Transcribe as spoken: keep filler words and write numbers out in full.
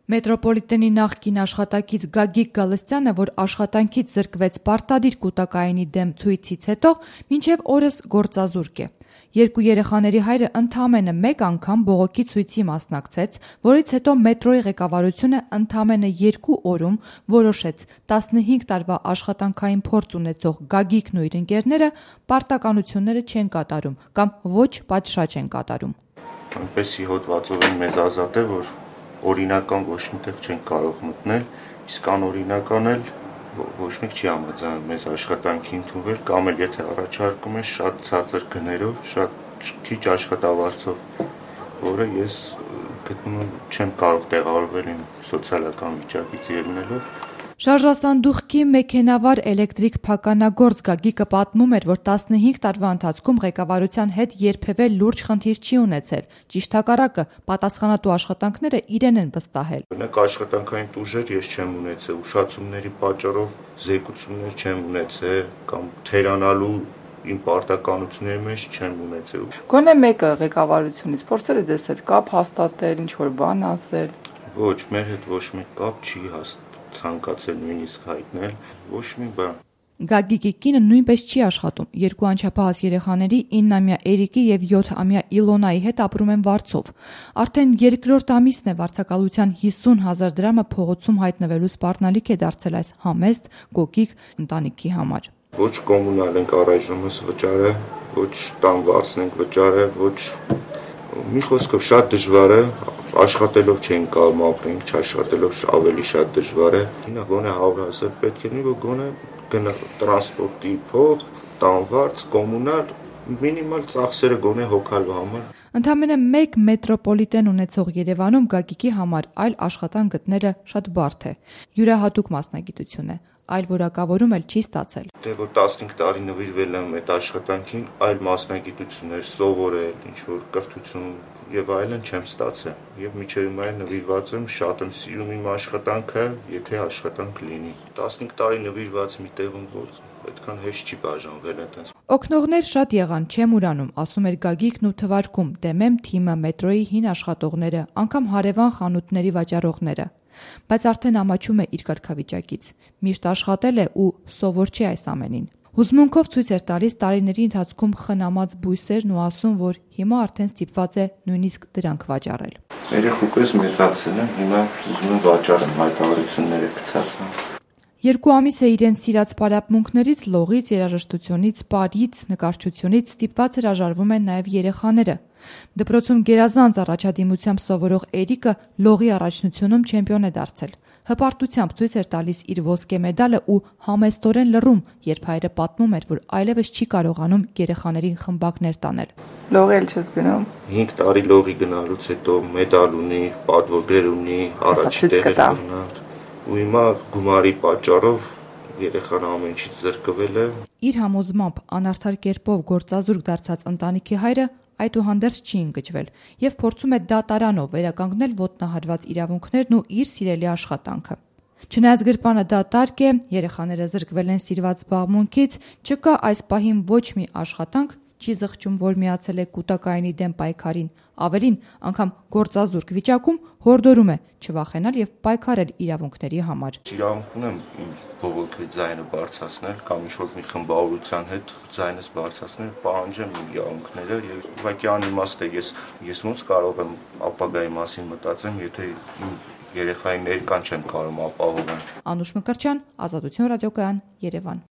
Մետրոպոլիտենի նախկին աշխատակից Գագիկ Գալստյանը, որ աշխատանքից զրկվեց պարտադիր կուտակայինի դեմ ցույցից հետո, մինչև օրս գործազուրկ է։ Երկու երեխաների հայրը ընդամենը մեկ անգամ բողոքի ցույցի մասնակցեց, որից հետո մետրոյի ղեկավարությունը ընդամենը երկու օրում որոշեց տասնհինգ տարվա աշխատանքային փորձ ունեցող Գագիկն ու իր ընկերները պարտականությունները չեն կատարում կամ ոչ պատշաճ են կատարում։ Այնպեսի հոդվածով են մեզ ազատել, որ օրինական ոչ միտեղ չեն կարող մտնել, իսկ անօրինական էլ ոչ մեկ չի համաձայնում մեզ աշխատանքի ընդունվել, կամ էլ եթե առաջարկում են շատ ցածր գներով, շատ քիչ աշխատավարձով, որը ես գտնում եմ չեմ կարող տեղավորվել իմ սոցիալական վիճակից ելնելով։ Շարժասանդուղքի մեքենավար էլեկտրիկ փականագործ Գագիկը պատմում էր, որ տասնհինգ տարվա ընթացքում ղեկավարության հետ երբևէ լուրջ խնդիր չի ունեցել, ճիշտ հակառակը, պատասխանատու աշխատանքները իրեն են վստահել։ Օրինակ աշխատանքային տուժեր ես չեմ ունեցել, ուշացումների պատճառով զեկուցումներ չեմ ունեցել կամ թերանալու իմ պարտականությունների մեջ չեմ ունեցել։ Գոնե մեկը ղեկավարությունից փորձել է ձեզ հետ կապ հաստատել, ինչ որ բան ասել։ Ոչ, մեր հետ ոչ մի կապ չի հաստատել, ցանկացել նույնիսկ հայտնել, ոչ մի բան։ Գագիկի կինը նույնպես չի աշխատում։ Երկու անչափահաս երեխաների իննամյա Էրիկի եւ յոթամյա Իլոնայի հետ ապրում են Վարձով։ Արդեն երկրորդ ամիսն է վարձակալության հիսուն հազար դրամը փողոցում հայտնվելու սպառնալիք է դարձել այս համեստ կոկիկ ընտանիքի համար։ Ոչ կոմունալ ենք առայժմս վճարը, ոչ տան վարձն ենք վճարը, ոչ մի խոսքով շատ դժվար է, աշխատելով չենք կարող ապրենք, չաշխատելով ավելի շատ դժվար է։ Ինա գոնե հարյուր հազար պետք է լինի, որ գոնե գնա տրանսպորտի փող, տանվարձ, կոմունալ, մինիմալ ծախսերը գոնե հոգալու համար։ Ընդամենը մեկ մետրոպոլիտեն ունեցող Երևանում Գագիկի համար այլ աշխատանք գտնելը շատ բարդ է։ Յուրահատուկ մասնագիտություն է, այլ որակավորում էլ չի ստացել։ Դե որ տասնհինգ տարի նվիրվել եմ այդ աշխատանքին, այլ մասնագիտություններ սովորել, ինչ որ կրթություն եւ այլն չեմ ստացել։ Եվ միջև հիմա նվիրված եմ, շատ եմ սիրում իմ աշխատանքը, եթե աշխատանք լինի։ տասնհինգ տարի նվիրված մի տեղում որ այդքան հեշտ չի բաժանվել այդպես։ Օգնողներ շատ եղան, չեմ ուրանում, ասում էր Գագիկն ու թվարկում դեմեմ թիմը մետրոյի հին աշխատողները, անգամ հարևան խանութների վաճառողները։ Բայց արդեն ամաչում է իր կարգավիճակից։ Միշտ աշխատել է ու սովոր չի այս ամենին։ Հուզմունքով ցույց էր տալիս տարիների ընթացքում խնամած բույսերն ու ասում, որ հիմա արդեն ստիպված է նույնիսկ դրանք վաճառել։ Երեխուկես մեծացել եմ, հիմա ուզում եմ վաճառեմ, հայտարարությունները գցած եմ։ Երկու ամիս է իրեն սիրած պարապմունքներից, լողից, երաժշտությունից, պարից, նկարչությունից ստիպված հրաժարվում են նաև երեխաները։ Դպրոցում գերազանց առաջադիմությամբ սովորող Էրիկը լողի առաջնությունում չեմպիոն է դարձել։ Հպարտությամբ ցույց էր տալիս իր ոսկե մեդալը ու համեստորեն լռում, երբ հայրը պատմում էր, որ այլևս չի կարողանում երեխաներին խմբակներ տանել։ Լողել չես գնում։ հինգ տարի լողի գնալուց հետո մեդալ ունի, պատվոգներ ունի, առաջի տեղեր գնալ։ Ու հիմա գումարի պատճառով երեխան ամեն ինչից զրկվել է։ Իր համոզմամբ անարդար կերպով գործազուրկ դարձած ընտանիքի հայրը այդուհանդերձ չի ընկճվել եւ փորձում է դատարանով վերականգնել ոտնահարված իրավունքներն ու իր սիրելի աշխատանքը։ Չնայած գրպանը դատարկ է, երեխաները զրկվել են սիրված զբաղմունքից, չկա այս պահին ոչ մի աշխատանք, չի զղջում, որ միացել է կուտակայինի դեմ պայքարին, ավելին, անգամ գործազուրկ վիճակում հորդորում է չվախենալ եւ պայքարել իրավունքների համար։ Իրավունք ունեմ իմ բողոքի ձայնը բարձրացնել կամ ինչ-որ մի խմբավորության հետ ձայնս բարձրացնել, պահանջեմ իմ իրավունքները եւ ուղղակի անիմաստ է ես ես ոնց կարող եմ ապագայի մասին մտածեմ, եթե իմ երեխայի ներկան չեմ կարող ապահովել։ Անուշ Մկրտչյան, Ազատություն ռադիոկայան, Երևան։